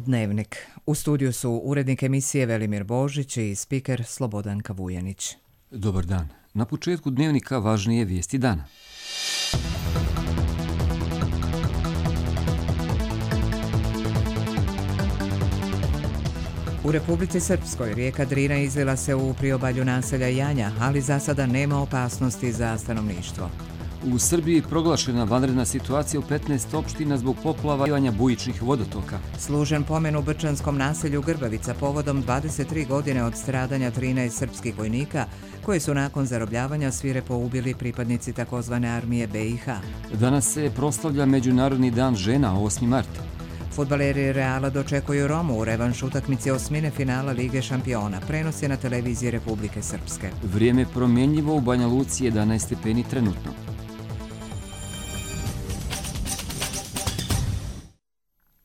Dnevnik. U studiju su urednik emisije Velimir Božić i spiker Slobodanka Vujanić. Dobar dan. Na početku Dnevnika važnije vijesti dana. U Republici Srpskoj rijeka Drina izlila se u priobalju naselja Janja, ali za sada nema opasnosti za stanovništvo. U Srbiji proglašena vanredna situacija u 15 opština zbog poplavljivanja bujičnih vodotoka. Služen pomen u brčanskom naselju Grbavica povodom 23 godine od stradanja 13 srpskih vojnika, koji su nakon zarobljavanja svirepo ubili pripadnici takozvane armije BiH. Danas se proslavlja Međunarodni dan žena, 8. mart. Fudbaleri Reala dočekuju Romu u revanš utakmici osmine finala Lige šampiona. Prenos je na televiziji Republike Srpske. Vrijeme promjenjivo u Banja Luci, 11 stepeni trenutno.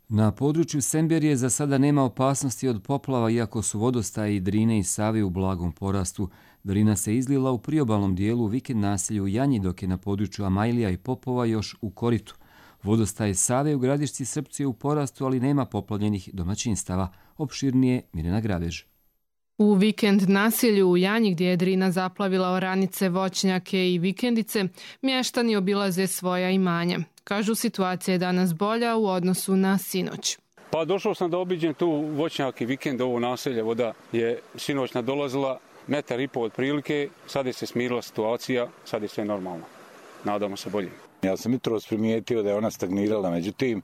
Na području Semberije za sada nema opasnosti od poplava, iako su vodostaji Drine i Save u blagom porastu. Drina se izlila u priobalnom dijelu u vikend naselju Janji, dok je na području Amajlija i Popova još u koritu. Vodostaj Save u Gradišci Srpcu je u porastu, ali nema poplavljenih domaćinstava. Opširnije Mirjana Grabež. U vikend naselju u Janji, gdje je Drina zaplavila oranice, voćnjake i vikendice, mještani obilaze svoja imanja. Kažu, situacija je danas bolja u odnosu na sinoć. Pa došao sam da obiđem tu voćnjak i vikend, ovo naselje. Voda je sinoć nadolazila 1,5 metra otprilike, sad je se smirila situacija, sad je sve normalno. Nadamo se bolje. Ja sam jutros primijetio da je ona stagnirala, međutim,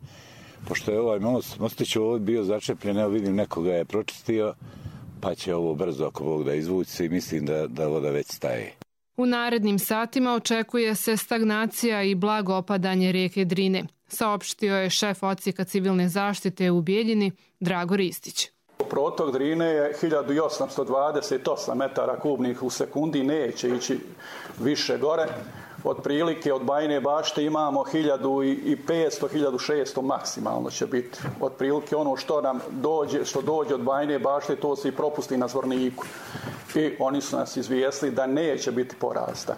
pošto je ovaj mostić ovdje bio začepljen, evo vidim nekoga je pročistio, pa će ovo brzo ako Bog da izvući se i mislim da voda već staje. U narednim satima očekuje se stagnacija i blago opadanje rijeke Drine, saopštio je šef odsjeka civilne zaštite u Bijeljini Drago Ristić. Protok Drine je 1828 metara kubnih u sekundi, neće ići više gore. Otprilike od Bajine Bašte imamo 1500-1600 maksimalno će biti. Otprilike ono što dođe od Bajine Bašte, to se i propusti na Zvorniku. I oni su nas izvijestili da neće biti porasta.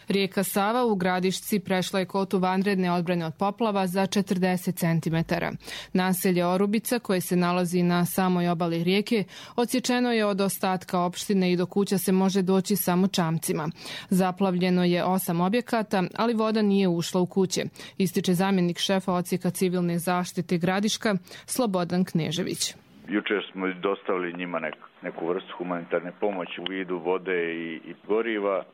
Rijeka Sava u Gradišci prešla je kotu vanredne odbrane od poplava za 40 cm. Naselje Orubica, koje se nalazi na samoj obali rijeke, odsječeno je od ostatka opštine i do kuća se može doći samo čamcima. Zaplavljeno je 8 objekata, ali voda nije ušla u kuće, ističe zamjenik šefa odsjeka civilne zaštite Gradiška Slobodan Knežević. Jučer smo dostavili njima neku vrstu humanitarne pomoći u vidu vode i goriva,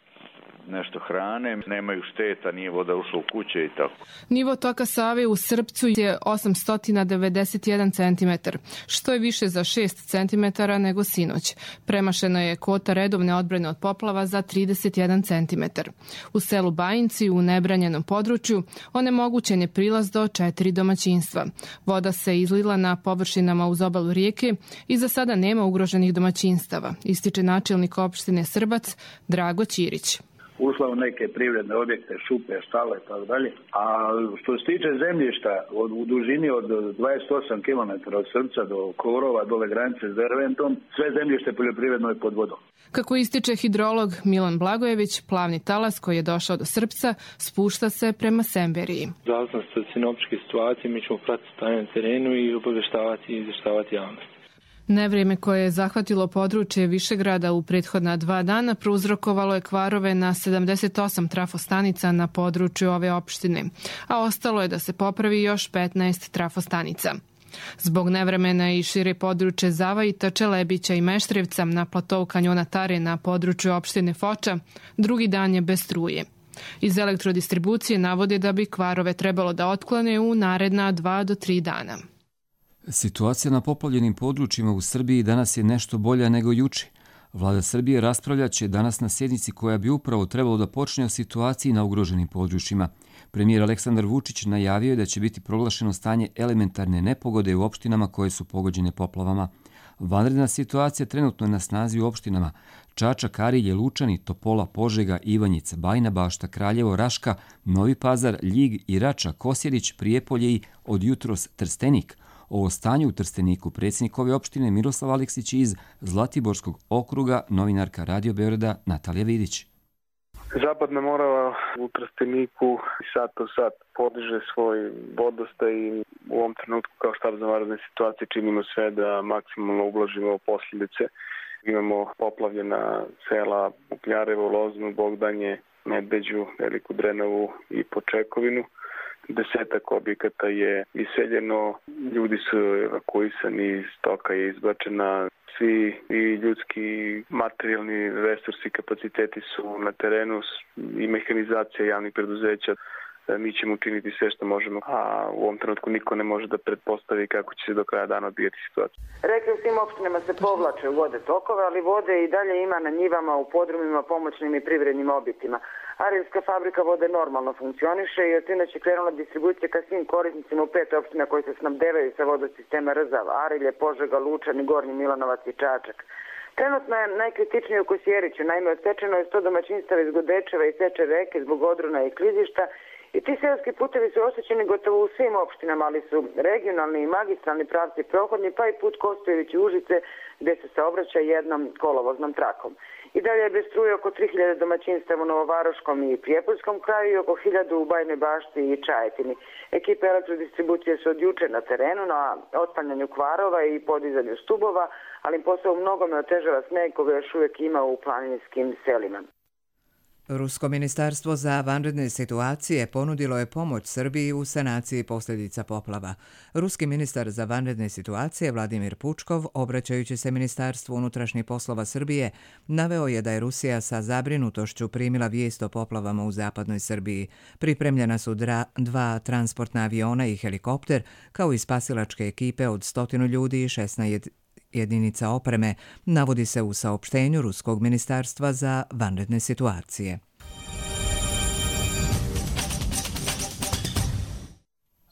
nešto hrane, nemaju šteta, nije voda ušla u kuće i tako. Nivo toka Save u Srpcu je 891 cm, što je više za 6 cm nego sinoć. Premašeno je kota redovne odbrane od poplava za 31 cm. U selu Bajinci, u nebranjenom području, onemogućen je prilaz do 4 domaćinstva. Voda se izlila na površinama uz obalu rijeke i za sada nema ugroženih domaćinstava, ističe načelnik opštine Srbac Drago Ćirić. Ušla u neke privredne objekte, šupe, štale, tako dalje. A što se tiče zemljišta, u dužini od 28 km od Srpca do Korova, dole granice s Derventom, sve zemljište poljoprivredno je pod vodom. Kako ističe hidrolog Milan Blagojević, plavni talas koji je došao do Srpca spušta se prema Semberiji. Zavisno od sinoptičke situacije, mi ćemo pratiti stanje na terenu i obavještavati i izvještavati javnost. Nevrijeme koje je zahvatilo područje Višegrada u prethodna 2 dana prouzrokovalo je kvarove na 78 trafostanica na području ove opštine, a ostalo je da se popravi još 15 trafostanica. Zbog nevremena i šire područje Zavajita, Čelebića i Meštrevca na platovu kanjona Tare na području opštine Foča, drugi dan je bez struje. Iz elektrodistribucije navode da bi kvarove trebalo da otklone u naredna 2 do 3 dana. Situacija na poplavljenim područjima u Srbiji danas je nešto bolja nego juče. Vlada Srbije raspravljaće danas na sjednici koja bi upravo trebalo da počne o situaciji na ugroženim područjima. Premijer Aleksandar Vučić najavio je da će biti proglašeno stanje elementarne nepogode u opštinama koje su pogođene poplavama. Vanredna situacija trenutno je na snazi u opštinama Čačak, Arilje, Lučani, Topola, Požega, Ivanjica, Bajina Bašta, Kraljevo, Raška, Novi Pazar, Ljig i Rača, Kosjerić, Prijepolje i od jutros Trstenik. O stanju u Trsteniku predsjednik ove opštine Miroslav Aleksić iz Zlatiborskog okruga, novinarka Radio Beograda Natalija Vidić. Zapadna Morava u Trsteniku sat po sat podiže svoj vodostaj i u ovom trenutku kao štab za vanredne situacije činimo sve da maksimalno ublažimo posljedice. Imamo poplavljena sela Ukljarevo, Loznu, Bogdanje, Medveđu, Veliku Drenovu i Počekovinu. 10 objekata je iseljeno, ljudi su evakuisani, stoka je izbačena, svi i ljudski materijalni resursi, kapaciteti su na terenu i mehanizacija javnih preduzeća. Mi ćemo učiniti sve što možemo, a u ovom trenutku niko ne može da pretpostavi kako će se do kraja dana odvijati situacija. Rekli u svim opštinama se povlače u vode tokove, ali vode i dalje ima na njivama, u podrumima, pomoćnim i privrednim objektima. Arilska fabrika vode normalno funkcioniše i od sinoć je krenula distribucija ka svim korisnicima u 5 opština koji se snabdevaju sa vodosistema Rzav, Arilje, Požega, Lučani, Gornji Milanovac i Čačak. Trenutno je najkritičnije u Kosjeriću, naime odsečeno je 100 domaćinstava iz Godečeva i Seče reke zbog odrona i klizišta i ti seoski putevi su oštećeni gotovo u svim opštinama, ali su regionalni i magistralni pravci prohodni, pa i put Kostojević-Užice gde se saobraća jednom kolovoznom trakom. I dalje je bez struje oko 3000 domaćinstava u Novovaroškom i Prijepoljskom kraju i oko 1000 u Bajnoj Bašti i Čajetini. Ekipe elektrodistribucije su od juče na terenu na otklanjanju kvarova i podizanju stubova, ali posao u mnogome otežava sneg koga još uvijek ima u planinskim selima. Rusko ministarstvo za vanredne situacije ponudilo je pomoć Srbiji u sanaciji posljedica poplava. Ruski ministar za vanredne situacije Vladimir Pučkov, obraćajući se Ministarstvu unutrašnjih poslova Srbije, naveo je da je Rusija sa zabrinutošću primila vijest o poplavama u zapadnoj Srbiji. Pripremljena su 2 transportna aviona i helikopter, kao i spasilačke ekipe od 100 ljudi i 16 jedinica opreme, navodi se u saopštenju Ruskog ministarstva za vanredne situacije.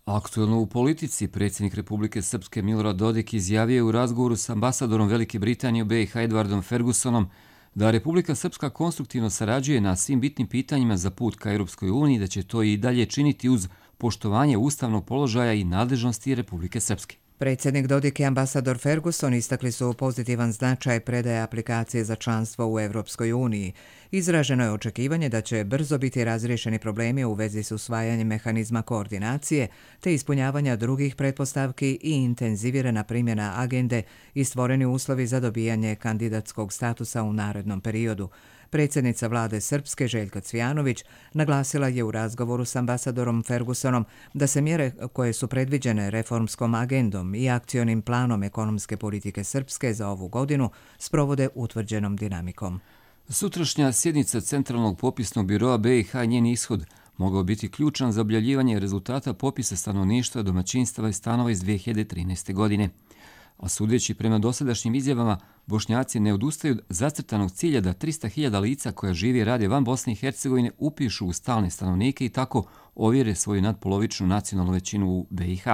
Aktuelno u politici, predsjednik Republike Srpske Milorad Dodik izjavio je u razgovoru s ambasadorom Velike Britanije u BiH Edwardom Fergusonom da Republika Srpska konstruktivno sarađuje na svim bitnim pitanjima za put ka Europskoj uniji, da će to i dalje činiti uz poštovanje ustavnog položaja i nadležnosti Republike Srpske. Predsjednik Dodik i ambasador Ferguson istakli su pozitivan značaj predaje aplikacije za članstvo u Europskoj uniji. Izraženo je očekivanje da će brzo biti razriješeni problemi u vezi s usvajanjem mehanizma koordinacije te ispunjavanja drugih pretpostavki i intenzivirana primjena agende i stvoreni uslovi za dobijanje kandidatskog statusa u narednom periodu. Predsjednica vlade Srpske Željka Cvijanović naglasila je u razgovoru s ambasadorom Fergusonom da se mjere koje su predviđene reformskom agendom i akcionim planom ekonomske politike Srpske za ovu godinu sprovode utvrđenom dinamikom. Sutrašnja sjednica Centralnog popisnog biroa BiH i njen ishod mogao biti ključan za objavljivanje rezultata popisa stanovništva, domaćinstava i stanova iz 2013. godine. A sudeći prema dosadašnjim izjavama, Bošnjaci ne odustaju od zacrtanog cilja da 300.000 lica koja živi i rade van Bosne i Hercegovine upišu u stalne stanovnike i tako ovjere svoju nadpolovičnu nacionalnu većinu u BiH.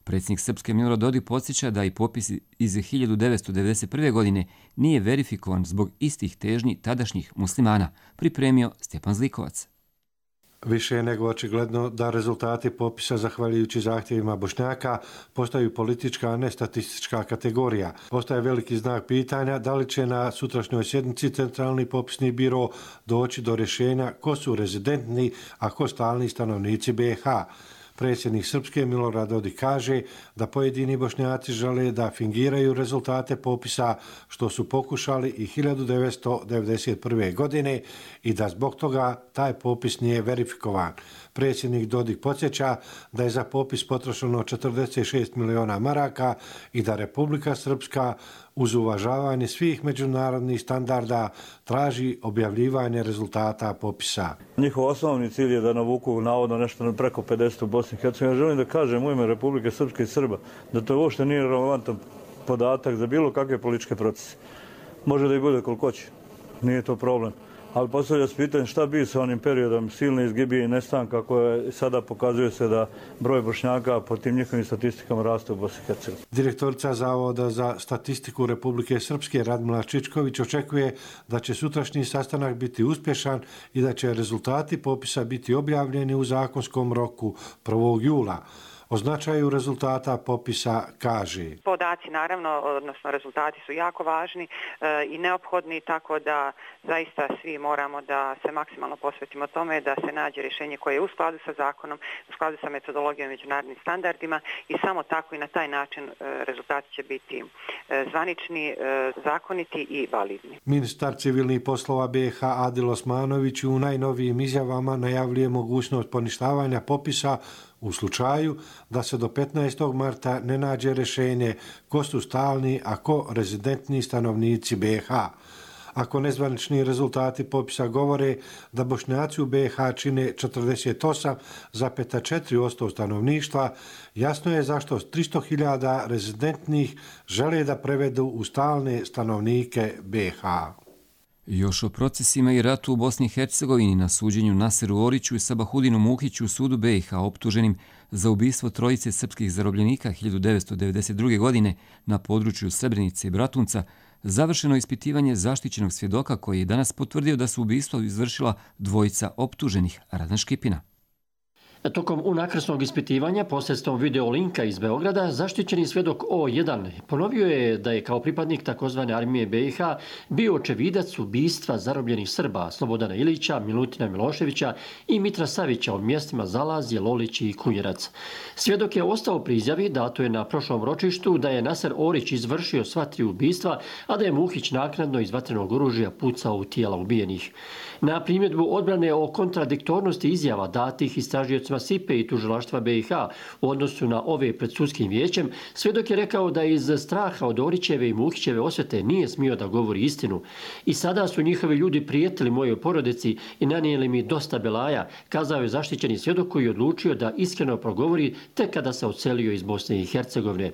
Predsjednik Srpske Milorad Dodik podsjeća da i popis iz 1991. godine nije verifikovan zbog istih težnji tadašnjih muslimana, pripremio Stjepan Zlikovac. Više je nego očigledno da rezultati popisa, zahvaljujući zahtjevima Bošnjaka, postaju politička, a ne statistička kategorija. Ostaje veliki znak pitanja da li će na sutrašnjoj sjednici Centralni popisni biro doći do rješenja ko su rezidentni, a ko stalni stanovnici BiH. Predsjednik Srpske Milorad Dodik kaže da pojedini Bošnjaci žele da fingiraju rezultate popisa, što su pokušali i 1991. godine i da zbog toga taj popis nije verifikovan. Predsjednik Dodik podsjeća da je za popis potrošeno 46 miliona maraka i da Republika Srpska uz uvažavanje svih međunarodnih standarda traži objavljivanje rezultata popisa. Njihov osnovni cilj je da navuku navodno nešto preko 50 u Bosni i Hercegovini. Ja želim da kažem u ime Republike Srpske i Srba da to uopšte nije relevantan podatak za bilo kakve političke procese. Može da i bude koliko hoće, nije to problem. Ali postavlja se pitanje šta bi sa onim periodom silne izgibije i nestanka koje sada pokazuje se da broj Bošnjaka po tim njihovim statistikama raste u Bosni i Hercegovini. Direktorica Zavoda za statistiku Republike Srpske Radmila Čičković očekuje da će sutrašnji sastanak biti uspješan i da će rezultati popisa biti objavljeni u zakonskom roku 1. jula. O značaju rezultata popisa kaže: podaci naravno, odnosno rezultati su jako važni i neophodni, tako da zaista svi moramo da se maksimalno posvetimo tome da se nađe rješenje koje je u skladu sa zakonom, u skladu sa metodologijom i međunarodnim standardima i samo tako i na taj način rezultati će biti zvanični, zakoniti i validni. Ministar civilnih poslova BiH Adil Osmanović u najnovijim izjavama najavljuje mogućnost poništavanja popisa u slučaju da se do 15. marta ne nađe rješenje ko su stalni, a ko rezidentni stanovnici BiH. Ako nezvanični rezultati popisa govore da Bošnjaci u BiH čine 48,4% stanovništva, jasno je zašto 300.000 rezidentnih žele da prevedu u stalne stanovnike BiH. Još o procesima i ratu u Bosni i Hercegovini na suđenju Naseru Oriću i Sabahudinu Muhiću u sudu BiH optuženim za ubistvo trojice srpskih zarobljenika 1992. godine na području Srebrenice i Bratunca završeno ispitivanje zaštićenog svjedoka koji je danas potvrdio da su ubistvo izvršila dvojica optuženih. Radan Škipina. Tokom unakrsnog ispitivanja posredstvom videolinka iz Beograda, zaštićeni svjedok O1 ponovio je da je kao pripadnik takozvane armije BiH bio očevidac ubistva zarobljenih Srba Slobodana Ilića, Milutina Miloševića i Mitra Savića u mjestima Zalazje, Lolić i Kunjerac. Svjedok je ostao pri izjavi dato je na prošlom ročištu da je Naser Orić izvršio sva tri ubistva, a da je Muhić naknadno iz vatrenog oružja pucao u tijela ubijenih. Na primjedbu odbrane o kontradiktornosti izjava datih istražiocima SIPE i tužilaštva BiH u odnosu na ove pred sudskim vijećem, svjedok je rekao da iz straha od Orićeve i Muhićeve osvete nije smio da govori istinu. I sada su njihovi ljudi prijetili mojoj porodici i nanijeli mi dosta belaja, kazao je zaštićeni svjedok koji je odlučio da iskreno progovori tek kada se odselio iz Bosne i Hercegovine.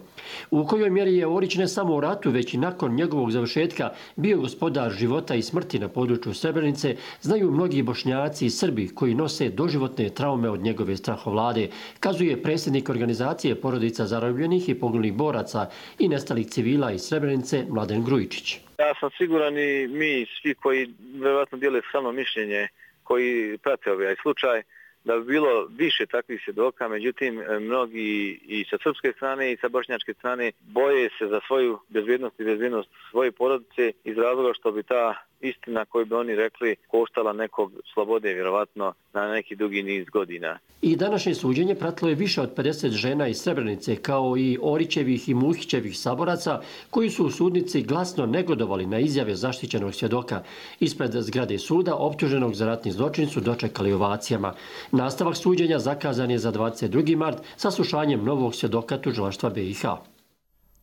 U kojoj mjeri je Orić ne samo u ratu, već i nakon njegovog završetka bio gospodar života i smrti na području Srebrenice, znaju mnogi Bošnjaci i Srbi koji nose doživotne traume od njegove strahovlade, kazuje predsjednik organizacije porodica zarobljenih i poginulih boraca i nestalih civila iz Srebrenice Mladen Grujičić. Ja sam siguran i mi svi koji vjerojatno dijele samo mišljenje, koji prate ovaj slučaj, da bi bilo više takvih svjedoka, međutim mnogi i sa srpske strane i sa bošnjačke strane boje se za svoju bezbjednost i bezbjednost svoje porodice iz razloga što bi ta istina koju bi oni rekli koštala nekog slobode vjerovatno na neki dugi niz godina. I današnje suđenje pratilo je više od 50 žena iz Srebrenice kao i Orićevih i Muhićevih saboraca koji su u sudnici glasno negodovali na izjave zaštićenog svjedoka. Ispred zgrade suda optuženog za ratni zločin su dočekali ovacijama. Nastavak suđenja zakazan je za 22. mart sa slušanjem novog svjedoka tužilaštva BiH.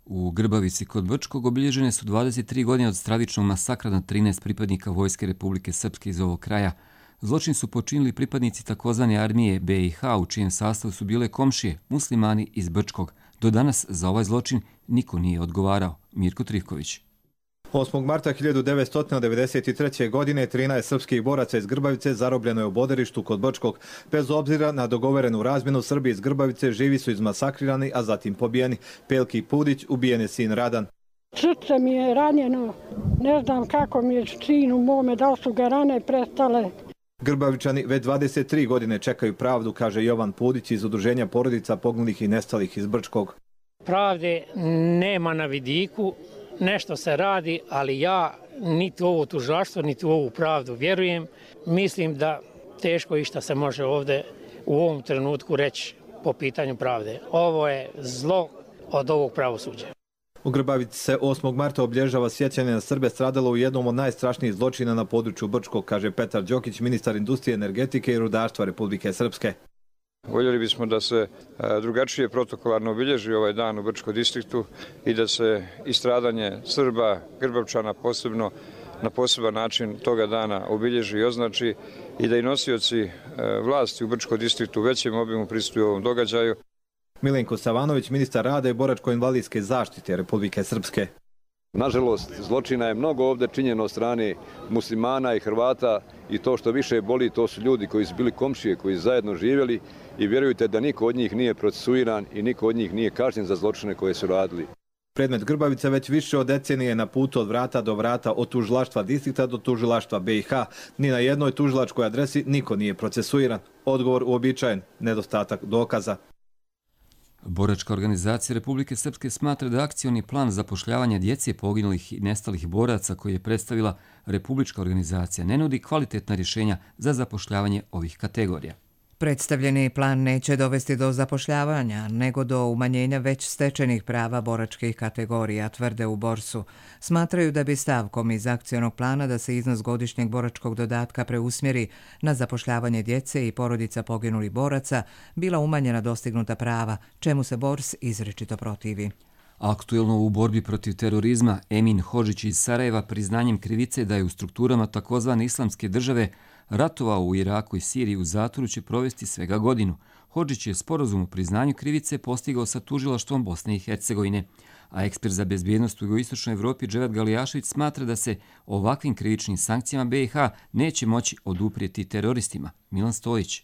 U Grbavici kod Brčkog obilježene su 23 godine od stravičnog masakra na 13 pripadnika Vojske Republike Srpske iz ovog kraja. Zločin su počinili pripadnici takozvane armije BiH u čijem sastavu su bile komšije, muslimani iz Brčkog. Do danas za ovaj zločin niko nije odgovarao. Mirko Trivković. 8. marta 1993. godine 13 srpskih boraca iz Grbavice zarobljeno je u boderištu kod Brčkog. Bez obzira na dogovorenu razmjenu, Srbi iz Grbavice živi su izmasakrirani, a zatim pobijeni. Pelki Pudić ubijen je sin Radan. Srce mi je ranjeno, ne znam kako mi je sin u mome, da li su ga rane prestale. Grbavičani već 23 godine čekaju pravdu, kaže Jovan Pudić iz Udruženja porodica poginulih i nestalih iz Brčkog. Pravde nema na vidiku. Nešto se radi, ali ja niti u ovo tužilaštvo, niti u ovu pravdu vjerujem. Mislim da teško išta se može ovdje u ovom trenutku reći po pitanju pravde. Ovo je zlo od ovog pravosuđa. U Grbavici se 8. marta obilježava sjećanje na Srbe stradalo u jednom od najstrašnijih zločina na području Brčkog, kaže Petar Đokić, ministar industrije, energetike i rudarstva Republike Srpske. Voljeli bismo da se drugačije protokolarno obilježi ovaj dan u Brčkom distriktu i da se i stradanje Srba, Grbavčana posebno na poseban način toga dana obilježi i označi i da i nosioci vlasti u Brčkom distriktu u većem obimu pristuju ovom događaju. Milenko Savanović, ministar rada i boračko-invalidske zaštite Republike Srpske. Nažalost, zločina je mnogo ovdje činjeno od strane muslimana i Hrvata i to što više boli, to su ljudi koji su bili komšije, koji su zajedno živjeli i vjerujte da niko od njih nije procesuiran i niko od njih nije kažnjen za zločine koje su radili. Predmet Grbavice već više od decenije na putu od vrata do vrata, od tužilaštva distrikta do tužilaštva BiH. Ni na jednoj tužilačkoj adresi niko nije procesuiran. Odgovor uobičajen, nedostatak dokaza. Boračka organizacija Republike Srpske smatra da akcioni plan zapošljavanja djece poginulih i nestalih boraca koji je predstavila Republička organizacija ne nudi kvalitetna rješenja za zapošljavanje ovih kategorija. Predstavljeni plan neće dovesti do zapošljavanja, nego do umanjenja već stečenih prava boračkih kategorija, tvrde u Borsu. Smatraju da bi stavkom iz akcionog plana da se iznos godišnjeg boračkog dodatka preusmjeri na zapošljavanje djece i porodica poginulih boraca bila umanjena dostignuta prava, čemu se Bors izričito protivi. Aktuelno u borbi protiv terorizma Emin Hodžić iz Sarajeva priznanjem krivice da je u strukturama takozvane islamske države ratovao u Iraku i Siriji u zatvoru će provesti svega godinu. Hodžić je sporazum o priznanju krivice postigao sa tužilaštvom Bosne i Hercegovine, a ekspert za bezbjednost u jugoistočnoj Evropi Dževat Galijašević smatra da se ovakvim krivičnim sankcijama BiH neće moći oduprijeti teroristima. Milan Stojić.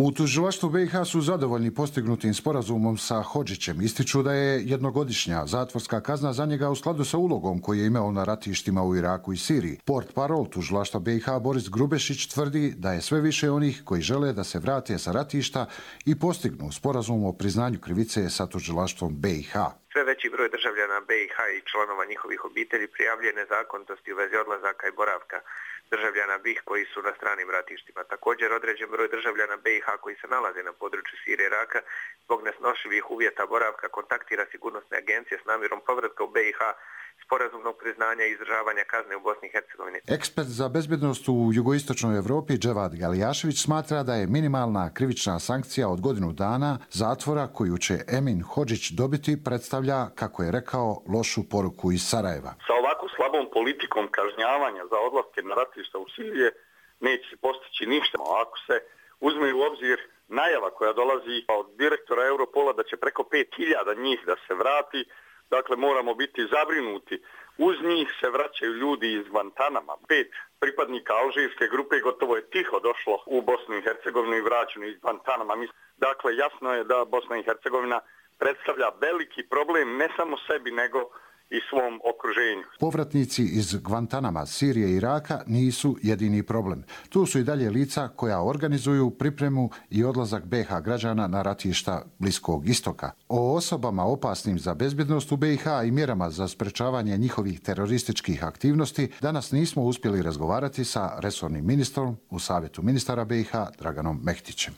U tužilaštvu BiH su zadovoljni postignutim sporazumom sa Hodžićem. Ističu da je jednogodišnja zatvorska kazna za njega u skladu sa ulogom koji je imao na ratištima u Iraku i Siriji. Portparol tužilaštva BiH Boris Grubešić tvrdi da je sve više onih koji žele da se vrate sa ratišta i postignu sporazum o priznanju krivice sa tužilaštvom BiH. Sve veći broj državljana BiH i članova njihovih obitelji prijavljuje nezakonitosti u vezi odlazaka i boravka državljana BiH koji su na stranim ratištima. Također određen broj državljana BiH koji se nalaze na području Sirije i Iraka zbog nesnošljivih uvjeta boravka kontaktira sigurnosne agencije s namjerom povratka u BiH, sporazumnog priznanja i izdržavanja kazne u Bosni i Hercegovini. Ekspert za bezbjednost u jugoistočnoj Evropi Dževat Galijašević smatra da je minimalna krivična sankcija od godinu dana zatvora koju će Emin Hodžić dobiti predstavlja, kako je rekao, lošu poruku iz Sarajeva. Sa ovako slabom politikom kažnjavanja za odlaske na ratišta u Sirije neće se postići ništa. Ako se uzme u obzir najava koja dolazi od direktora Europola da će preko 5000 njih da se vrati, dakle, moramo biti zabrinuti. Uz njih se vraćaju ljudi iz Guantanama. 5 pripadnika alžirske grupe gotovo je tiho došlo u Bosnu i Hercegovinu i vraćeno iz Guantanama. Dakle, jasno je da Bosna i Hercegovina predstavlja veliki problem ne samo sebi, nego i svom okruženju. Povratnici iz Guantanama, Sirije i Iraka nisu jedini problem. Tu su i dalje lica koja organizuju pripremu i odlazak BiH građana na ratišta Bliskog istoka. O osobama opasnim za bezbjednost u BiH i mjerama za sprečavanje njihovih terorističkih aktivnosti danas nismo uspjeli razgovarati sa resornim ministrom u Savjetu ministara BiH Draganom Mehtićem.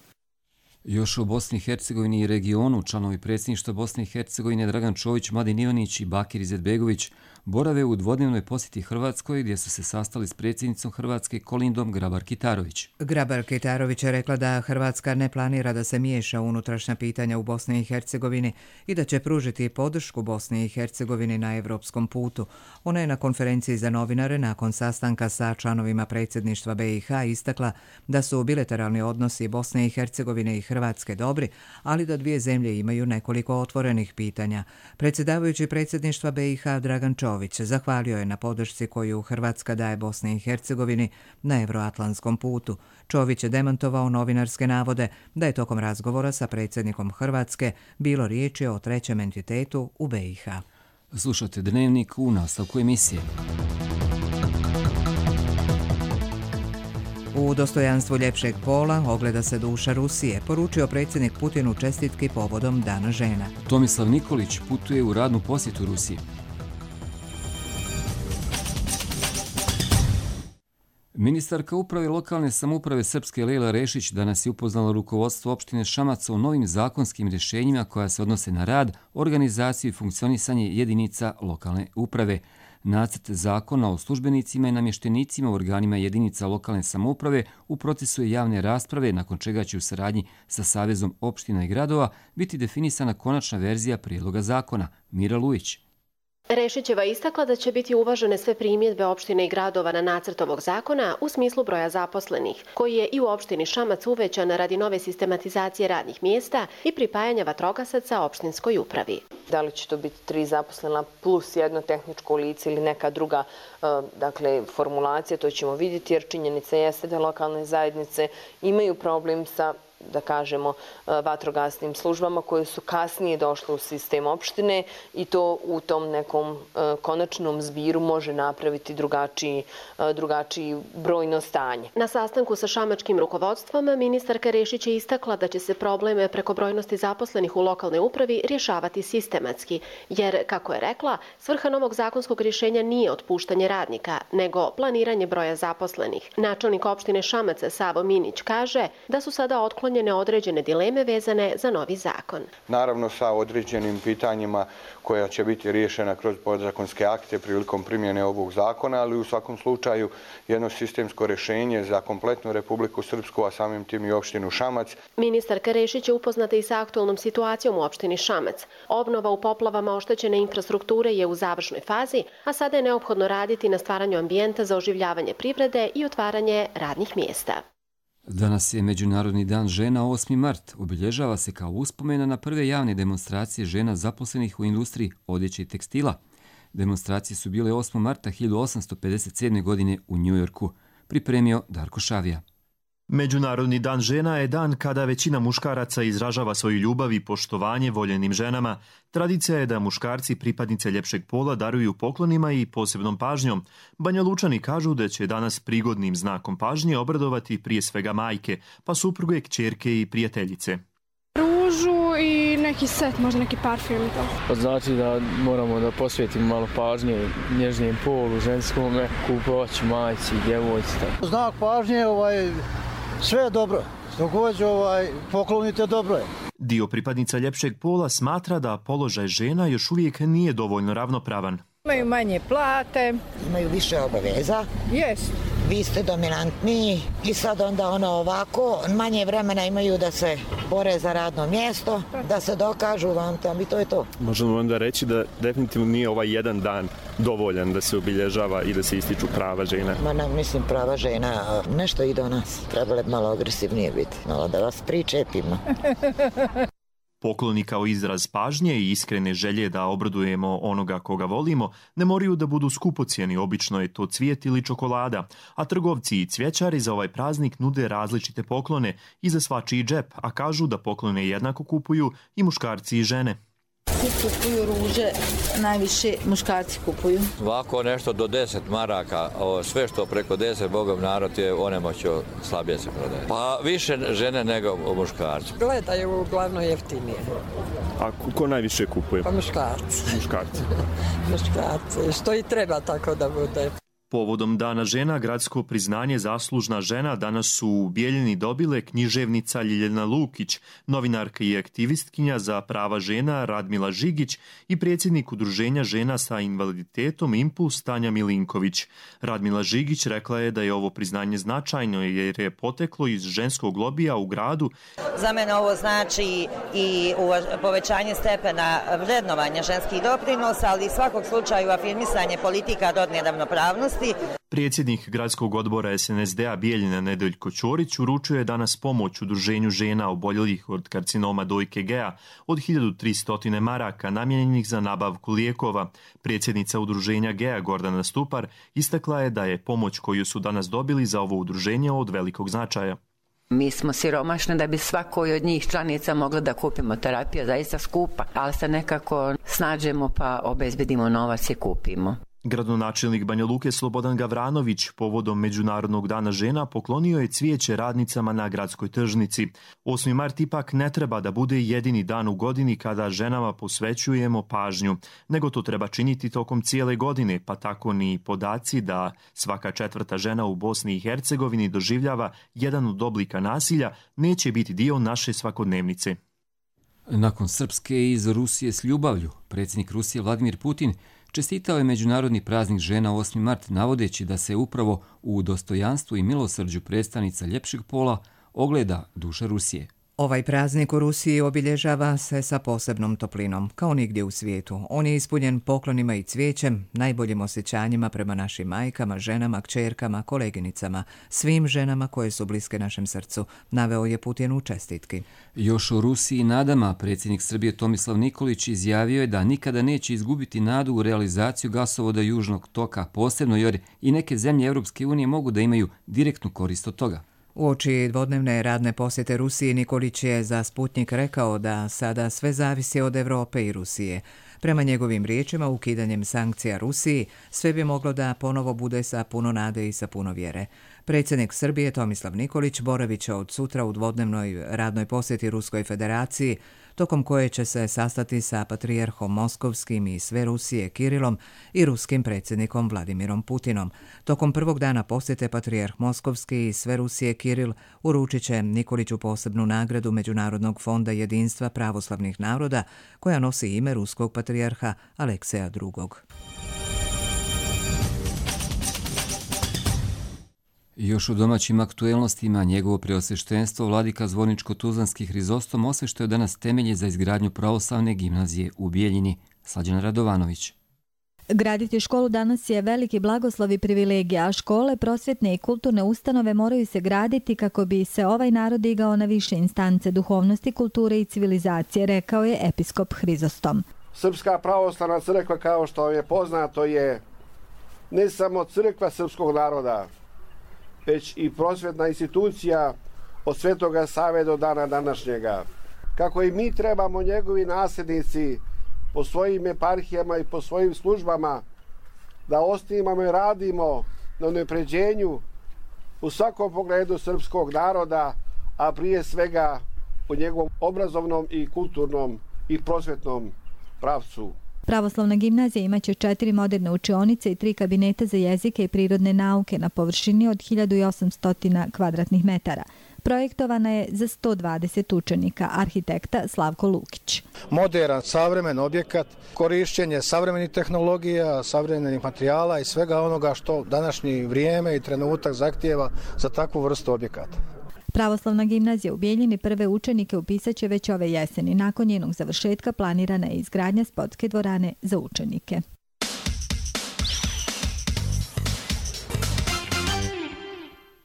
Još o Bosni i Hercegovini i regionu članovi predsjedništva Bosne i Hercegovine Dragan Čović, Mladen Ivanić i Bakir Izetbegović borave u dvodnevnoj posjeti Hrvatskoj gdje su se sastali s predsjednicom Hrvatske Kolindom Grabar-Kitarović. Grabar-Kitarović je rekla da Hrvatska ne planira da se miješa u unutrašnja pitanja u Bosni i Hercegovini i da će pružiti podršku Bosni i Hercegovini na evropskom putu. Ona je na konferenciji za novinare nakon sastanka sa članovima predsjedništva BiH istakla da su bilateralni odnosi Bosne i Hercegovine i Hrvatske dobri, ali da dvije zemlje imaju nekoliko otvorenih pitanja. Predsjedavajući predsjedništva BiH Dragan Čović zahvalio je na podršci koju Hrvatska daje Bosni i Hercegovini na evroatlantskom putu. Čović je demantovao novinarske navode da je tokom razgovora sa predsjednikom Hrvatske bilo riječi o trećem entitetu u BiH. Slušate Dnevnik u nastavku emisije. U dostojanstvu ljepšeg pola ogleda se duša Rusije, poručio predsjednik Putin u čestitki povodom Dana žena. Tomislav Nikolić putuje u radnu posjetu Rusiji. Ministarka uprave lokalne samouprave Srpske Lejla Rešić danas je upoznala rukovodstvo opštine Šamac o novim zakonskim rješenjima koja se odnose na rad, organizaciju i funkcionisanje jedinica lokalne uprave. Nacrt zakona o službenicima i namještenicima u organima jedinica lokalne samouprave u procesu je javne rasprave, nakon čega će u saradnji sa Savezom opština i gradova biti definisana konačna verzija prijedloga zakona. Mira Lujić. Rešićeva istakla da će biti uvažene sve primjedbe opštine i gradova na nacrt ovog zakona u smislu broja zaposlenih, koji je i u opštini Šamac uvećan radi nove sistematizacije radnih mjesta i pripajanja vatrogasaca opštinskoj upravi. Da li će to biti 3 zaposlena plus jedno tehničko lice ili neka druga formulacija, to ćemo vidjeti, jer činjenica jeste da lokalne zajednice imaju problem sa da kažemo, vatrogasnim službama koje su kasnije došle u sistem opštine i to u tom nekom konačnom zbiru može napraviti drugačiji brojno stanje. Na sastanku sa šamačkim rukovodstvom ministarka Rešić je istakla da će se probleme prekobrojnosti zaposlenih u lokalnoj upravi rješavati sistematski, jer, kako je rekla, svrha novog zakonskog rješenja nije otpuštanje radnika, nego planiranje broja zaposlenih. Načelnik opštine Šamac Savo Minić kaže da su sada otklonjene određene dileme vezane za novi zakon. Naravno sa određenim pitanjima koja će biti riješena kroz podzakonske akte prilikom primjene ovog zakona, ali u svakom slučaju jedno sistemsko rješenje za kompletnu Republiku Srpsku, a samim tim i opštinu Šamac. Ministarka Rešić je upoznata i sa aktualnom situacijom u opštini Šamac. Obnova u poplavama oštećene infrastrukture je u završnoj fazi, a sada je neophodno raditi na stvaranju ambijenta za oživljavanje privrede i otvaranje radnih mjesta. Danas je Međunarodni dan žena 8. mart. Obilježava se kao uspomena na prve javne demonstracije žena zaposlenih u industriji odjeće i tekstila. Demonstracije su bile 8. marta 1857. godine u Njujorku. Pripremio Darko Šavija. Međunarodni dan žena je dan kada većina muškaraca izražava svoju ljubav i poštovanje voljenim ženama. Tradicija je da muškarci pripadnice ljepšeg pola daruju poklonima i posebnom pažnjom. Banjalučani kažu da će danas prigodnim znakom pažnje obradovati prije svega majke, pa supruge, kćerke i prijateljice. Ružu i neki set, možda neki parfum i to. Znači da moramo da posvetimo malo pažnje nježnijem polu, ženskome, kupovaću, majci, djevojci. Znak pažnje, sve je dobro. Dok poklonite, dobro je. Dio pripadnica ljepšeg pola smatra da položaj žena još uvijek nije dovoljno ravnopravan. Imaju manje plate. Imaju više obaveza. Jest. Vi ste dominantniji i sad onda ovako, manje vremena imaju da se bore za radno mjesto, da se dokažu vam tam i to je to. Možemo onda reći da definitivno nije ovaj jedan dan dovoljan da se obilježava i da se ističu prava žena. Mislim prava žena, nešto i do nas. Trebalo malo agresivnije biti, malo da vas pričepimo. Pokloni kao izraz pažnje i iskrene želje da obradujemo onoga koga volimo ne moraju da budu skupocjeni, obično je to cvijet ili čokolada, a trgovci i cvjećari za ovaj praznik nude različite poklone i za svačiji džep, a kažu da poklone jednako kupuju i muškarci i žene. Kupuju ruže, najviše muškarci kupuju. Ovako nešto do 10 maraka, sve što preko 10, Bogom narod je onemoćio, slabije se prodaje. Pa više žene nego muškarci. Gledaju uglavnom jeftinije. A ko najviše kupuje? Pa muškarci. Muškarci. Muškarci, što i treba tako da bude. Povodom Dana žena, gradsko priznanje Zaslužna žena danas su u Bijeljini dobile književnica Ljiljana Lukić, novinarka i aktivistkinja za prava žena Radmila Žigić i predsjednik Udruženja žena sa invaliditetom Impuls Tanja Milinković. Radmila Žigić rekla je da je ovo priznanje značajno jer je poteklo iz ženskog lobija u gradu. Za mene ovo znači i povećanje stepena vrednovanja ženskih doprinosa, ali i svakog slučaju afirmisanje politika rodne ravnopravnosti. Predsjednik gradskog odbora SNSD-a Bijeljina Nedeljko Ćorić uručio je danas pomoć Udruženju žena oboljelih od karcinoma dojke Gea od 1300 maraka namijenjenih za nabavku lijekova. Predsjednica Udruženja Gea Gordana Stupar istakla je da je pomoć koju su danas dobili za ovo udruženje od velikog značaja. Mi smo siromašni da bi svakoj od njih članica mogla da kupimo terapiju, zaista skupa, ali se nekako snađemo pa obezbedimo novac i kupimo. Gradonačelnik Banja Luke Slobodan Gavranović povodom Međunarodnog dana žena poklonio je cvijeće radnicama na gradskoj tržnici. 8. mart ipak ne treba da bude jedini dan u godini kada ženama posvećujemo pažnju, nego to treba činiti tokom cijele godine, pa tako ni podaci da svaka 4. žena u Bosni i Hercegovini doživljava jedan od oblika nasilja neće biti dio naše svakodnevnice. Nakon Srpske iz Rusije s ljubavlju, predsjednik Rusije Vladimir Putin čestitao je Međunarodni praznik žena 8. mart navodeći da se upravo u dostojanstvu i milosrđu predstavnica ljepšeg pola ogleda duša Rusije. Ovaj praznik u Rusiji obilježava se sa posebnom toplinom, kao nigdje u svijetu. On je ispunjen poklonima i cvijećem, najboljim osjećanjima prema našim majkama, ženama, kćerkama, koleginicama, svim ženama koje su bliske našem srcu, naveo je Putin u čestitki. Još o Rusiji nadama predsjednik Srbije Tomislav Nikolić izjavio je da nikada neće izgubiti nadu u realizaciju gasovoda Južnog toka, posebno jer i neke zemlje Europske unije mogu da imaju direktnu korist od toga. Uoči dvodnevne radne posjete Rusiji, Nikolić je za Sputnik rekao da sada sve zavisi od Europe i Rusije. Prema njegovim riječima, ukidanjem sankcija Rusiji, sve bi moglo da ponovo bude sa puno nade i sa puno vjere. Predsjednik Srbije Tomislav Nikolić boravit će od sutra u dvodnevnoj radnoj posjeti Ruskoj federaciji, tokom koje će se sastati sa patrijarhom Moskovskim i sve Rusije Kirilom i ruskim predsjednikom Vladimirom Putinom. Tokom prvog dana posjete patrijarh Moskovski i sve Rusije Kiril uručit će Nikoliću posebnu nagradu Međunarodnog fonda jedinstva pravoslavnih naroda, koja nosi ime ruskog patrijarha Alekseja II. Još u domaćim aktuelnostima njegovo preosveštenstvo vladika Zvorničko-Tuzlanski Hrizostom osveštao danas temelje za izgradnju pravoslavne gimnazije u Bijeljini. Slađana Radovanović. Graditi školu danas je veliki blagoslov i privilegija, a škole, prosvjetne i kulturne ustanove moraju se graditi kako bi se ovaj narod digao na više instance duhovnosti, kulture i civilizacije, rekao je episkop Hrizostom. Srpska pravoslavna crkva, kao što je poznato, je ne samo crkva srpskog naroda, već i prosvjetna institucija od Svetoga Save do dana današnjega. Kako i mi trebamo, njegovi nasljednici, po svojim eparhijama i po svojim službama, da osnivamo i radimo na unapređenju u svakom pogledu srpskog naroda, a prije svega u njegovom obrazovnom i kulturnom i prosvjetnom pravcu. Pravoslavna gimnazija imaće 4 moderne učionice i 3 kabineta za jezike i prirodne nauke na površini od 1800 kvadratnih metara. Projektovana je za 120 učenika, arhitekta Slavko Lukić. Moderan, savremen objekat, korišćenje savremenih tehnologija, savremenih materijala i svega onoga što današnji vrijeme i trenutak zahtijeva za takvu vrstu objekata. Pravoslavna gimnazija u Bijeljini prve učenike upisaće već ove jeseni. Nakon njenog završetka planirana je izgradnja sportske dvorane za učenike.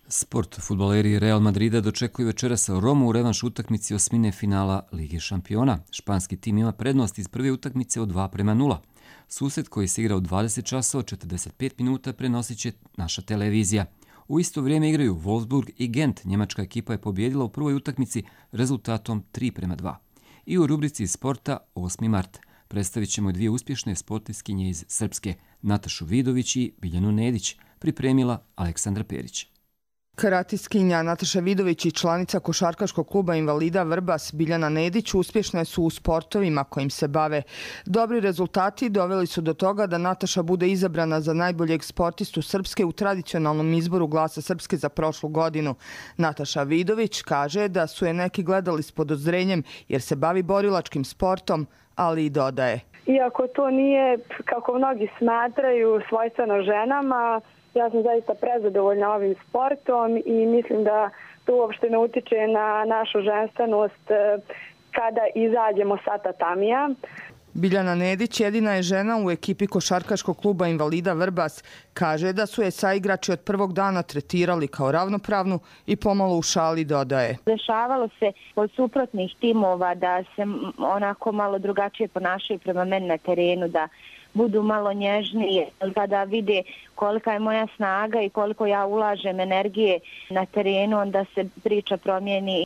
Sport. Fudbaleri Real Madrida dočekuju večeras Romu u revanš utakmici osmine finala Lige šampiona. Španski tim ima prednost iz prve utakmice od 2:0. Susret koji se igra u 20 časova 45 minuta prenosit će naša televizija. U isto vrijeme igraju Wolfsburg i Gent. Njemačka ekipa je pobijedila u prvoj utakmici rezultatom 3:2. I u rubrici sporta 8. mart predstavit ćemo 2 uspješne sportistkinje iz Srpske, Natašu Vidović i Biljanu Nedić, pripremila Aleksandra Perić. Karatiskinja Nataša Vidović i članica košarkaškog kluba invalida Vrbas Biljana Nedić uspješne su u sportovima kojim se bave. Dobri rezultati doveli su do toga da Nataša bude izabrana za najboljeg sportistu Srpske u tradicionalnom izboru Glasa Srpske za prošlu godinu. Nataša Vidović kaže da su je neki gledali s podozrenjem jer se bavi borilačkim sportom, ali i dodaje. Iako to nije, kako mnogi smatraju, svojstveno ženama, ja sam zaista prezadovoljna ovim sportom i mislim da to uopšte ne utiče na našu ženstvenost kada izađemo sa tatamija. Biljana Nedić jedina je žena u ekipi košarkaškog kluba invalida Vrbas. Kaže da su je saigrači od prvog dana tretirali kao ravnopravnu i pomalo u šali dodaje. Dešavalo se od suprotnih timova da se onako malo drugačije ponašaju prema meni na terenu, da budu malo nježnije, kada vide kolika je moja snaga i koliko ja ulažem energije na terenu, onda se priča promijeni.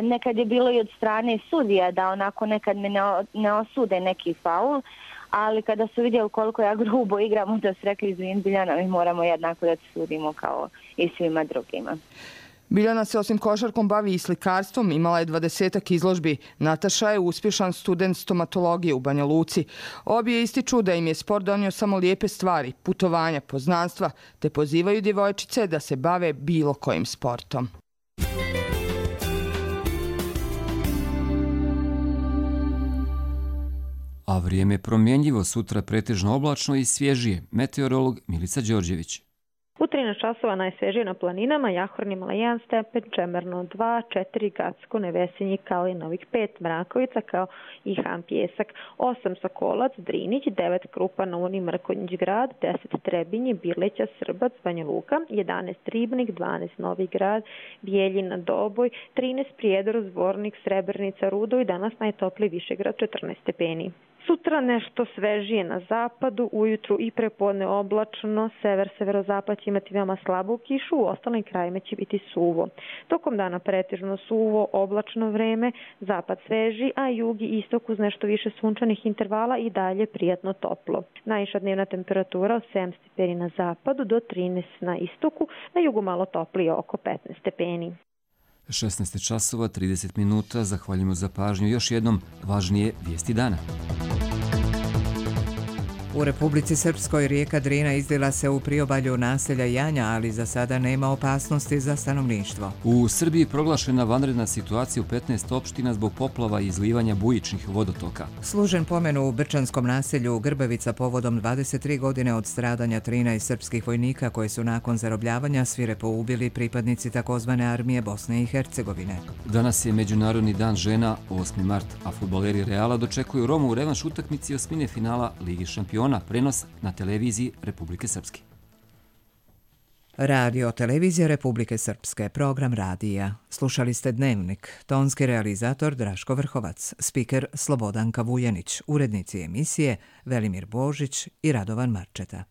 Nekad je bilo i od strane sudija da onako nekad me ne osude neki faul, ali kada su vidjeli koliko ja grubo igram, onda su rekli izvin Biljana, mi moramo jednako da sudimo kao i svima drugima. Biljana se osim košarkom bavi i slikarstvom, imala je 20 izložbi. Nataša je uspješan student stomatologije u Banja Luci. Obje ističu da im je sport donio samo lijepe stvari, putovanja, poznanstva, te pozivaju djevojčice da se bave bilo kojim sportom. A vrijeme je promjenjivo, sutra pretežno oblačno i svježije. Meteorolog Milica Đorđević. U 13 časova najsvježije na planinama, Jahornimala 1 stepen, Čemerno 2, 4, Gacko, Nevesinji, Kalinovik 5, Mrakovica kao i Han Pjesak, 8 Sokolac, Drinić, 9 Krupa, Novoni, Mrkonjić grad, 10 Trebinje, Birleća, Srbac, Banja Luka, 11 Ribnik, 12 Novi grad, Bijeljina, Doboj, 13 Prijedor, Zvornik, Srebrnica, Rudo i danas najtopliji Višegrad 14 stepeni. Sutra nešto svežije na zapadu, ujutru i prepodne oblačno, sever-severozapad će imati veoma slabu kišu, u ostalim krajima će biti suvo. Tokom dana pretežno suvo, oblačno vreme, zapad sveži, a jug i istok uz nešto više sunčanih intervala i dalje prijatno toplo. Najviša dnevna temperatura od 7 stepeni na zapadu do 13 na istoku, na jugu malo toplije oko 15 stepeni. 16 časova 30 minuta, zahvaljujemo za pažnju. Još jednom važnije vijesti dana. U Republici Srpskoj rijeka Drina izlila se u priobalju naselja Janja, ali za sada nema opasnosti za stanovništvo. U Srbiji proglašena vanredna situacija u 15 opština zbog poplava i izlivanja bujičnih vodotoka. Služen pomen u brčanskom naselju Grbavica povodom 23 godine od stradanja 13 srpskih vojnika koji su nakon zarobljavanja svirepo ubili pripadnici takozvane armije Bosne i Hercegovine. Danas je Međunarodni dan žena, 8. mart, a fudbaleri Reala dočekuju Romu u revanš utakmici osmine finala Ligi šampiona. Prenos na televiziji Republike Srpske. Radio Televizija Republike Srpske, program radija. Slušali ste Dnevnik, tonski realizator Draško Vrhovac, spiker Slobodanka Vujanić, urednici emisije Velimir Božić i Radovan Marčeta.